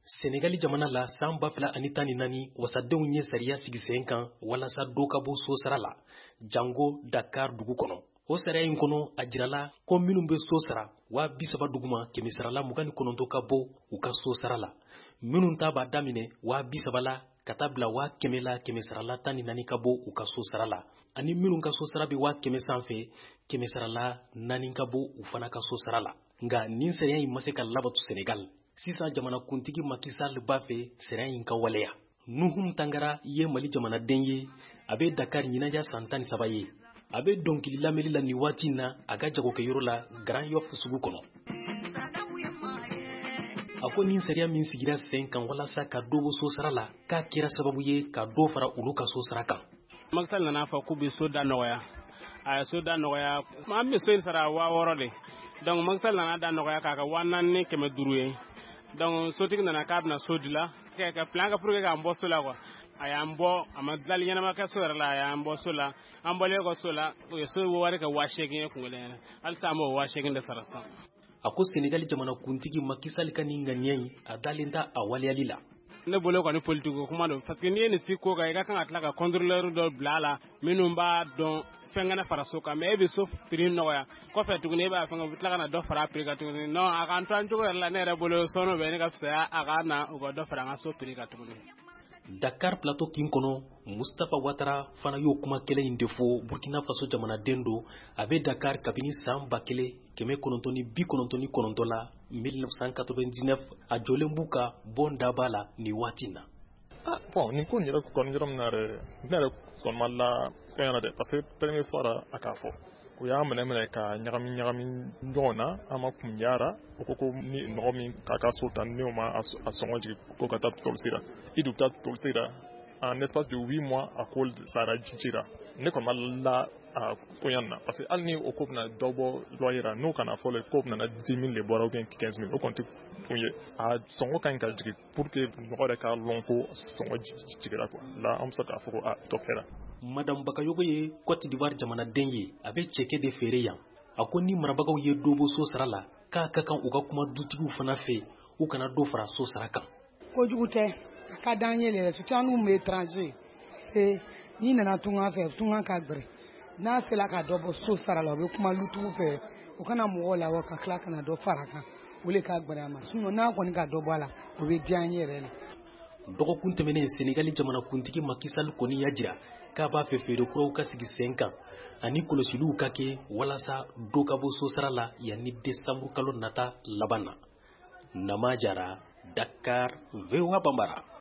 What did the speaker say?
Senegali jamana la, san 2014, wasadenw ye sariya sigi sen kan walasa dɔ ka bɔ so sara la, jango Dakar dugu kɔnɔ. O sariya in kɔnɔ, a jirala ko minnu bɛ so sara 30.000 duguma, kɛmɛsarala 29 ka bɔ u ka so sara la. Minnu ta b'a daminɛ 30.000 la ka taa bila 100.000 la, kɛmɛsarala 14 ka bɔ u ka so sara la, ani minnu ka so sara bɛ 100.000 sanfɛ, kɛmɛsarala 4 ka bɔ u fana ka so sara la. Nka nin sariya in ma se ka labatu Senegal. Sisan, jamanakuntigi Macky Sall b'a fɛ sariya in ka waleya. Nuhum Tangara ye Mali jamanaden ye. A bɛ Dakar ɲinaya san 13 ye. A bɛ dɔnkili lamɛnli la nin waati in na a ka jagokɛyɔrɔ la Grand Yoff sugu kɔnɔ. A ko nin sariya min sigira sen kan walasa ka dɔ bɔ so sara la, k'a kɛra sababu ye ka dɔ fara olu ka so sara kan. Macky Sall nana fɔ k'u bɛ so da nɔgɔya. A ye so da nɔgɔya. An bɛ so in sara 6000 de. Donc Macky Sall nana da nɔgɔya k'a kɛ 4500 ye. Donc sotigi nana k'a bɛna so dila ka plan kɛ pour que k'an bɔ so la quoi. A y'an bɔ, a ma dilali ɲɛnama kɛ so yɛrɛ la, a y'an bɔ so la. An bɔlen kɔ so la, u ye so wari kɛ 8000 ye kun kelen. Halisa an b'o 8000 de sara sisan. A ko Senegali jamanakuntigi Macky Sall ka nin ŋaniya in, a dalen t'a a waleyali la. Ne bolo kɔni, politique kuma don, parce que n'i ye nin si ko kan, i ka kan ka tila ka contrôleur dɔ bila a la minnu b'a dɔn fɛn kana fara so kan. Mais e bɛ so prix nɔgɔya, kɔfɛ tuguni e b'a fɛn, u bɛ tila ka na dɔ fara a prix kan tuguni. Non, a k'an to an cogo yɛrɛ la. Ne yɛrɛ bolo, sɔnni bɛ ne ka fisaya a ka na u ka dɔ fara an ka so prix kan tuguni. Dakar Plateau kin kɔnɔ, Mustapha Watara fana y'o kuma kelen in de fɔ. Burkina Faso jamanaden don. A bɛ Dakar kabini san 1999 la, 1999. A jɔlen b'u ka bon daba la nin waati na. Ah bon, nin ko in yɛrɛ kɔni, yɔrɔ min na yɛrɛ, ne yɛrɛ kɔni ma la fɛn yɛrɛ dɛ, parce que premier fois la a k'a fɔ, u y'a minɛ minɛ ka ɲagami ɲagami ɲɔgɔn na, an ma kun yara. U ko ko ni mɔgɔ min k'a ka so ta, n'o ma a sɔngɔ jigin, ko ka taa polisi la, i dun taa polisi la. En espace de 8 mois, a ko taara ji la. Ne kɔni ma la a koɲa na, parce que hali ni o ko bɛna dɔ bɔ loyer la, n'o kana fɔ ko bɛna 10 000 de bɔra ou bien 15 000, o kɔni tɛ kun ye. A sɔngɔ ka ɲi ka jigin pour que mɔgɔ yɛrɛ k'a lɔn ko sɔngɔ jigira quoi. La an bɛ se k'a fɔ ko a dɔ kɛra. Madame Bakayogo ye Cote d'Ivoire jamanaden ye. A bɛ cɛkɛ de feere yan. A ko ni marabagaw ye dɔ bɔ so sara la, k'a ka kan u ka kuma dutigiw fana fɛ, u kana dɔ fara so sara kan. Kojugu tɛ, a ka d'an ye yɛrɛ, surtout an n'u bɛ étranger e n'i nana tunga fɛ, tunga ka gbɛrɛ. N'a sera ka dɔ bɔ so sara la, u bɛ kuma lutigiw fɛ, u kana mɔgɔw labɔ ka tila ka na dɔ fara kan. O le ka gbɛrɛ a ma. Sinon n'a kɔni ka dɔ bɔ a la, o bɛ diya an ye yɛrɛ la. Dɔgɔkun tɛmɛnen, Senegali jamanakuntigi Macky Sall kɔni y'a jira k'a b'a fɛ feere kuraw ka sigi sen kan ani kɔlɔsiliw ka kɛ walasa dɔ ka bɔ so sara la yanni desanburu kalo nata laban na. Nama Jara, Dakar, VOA Bambara.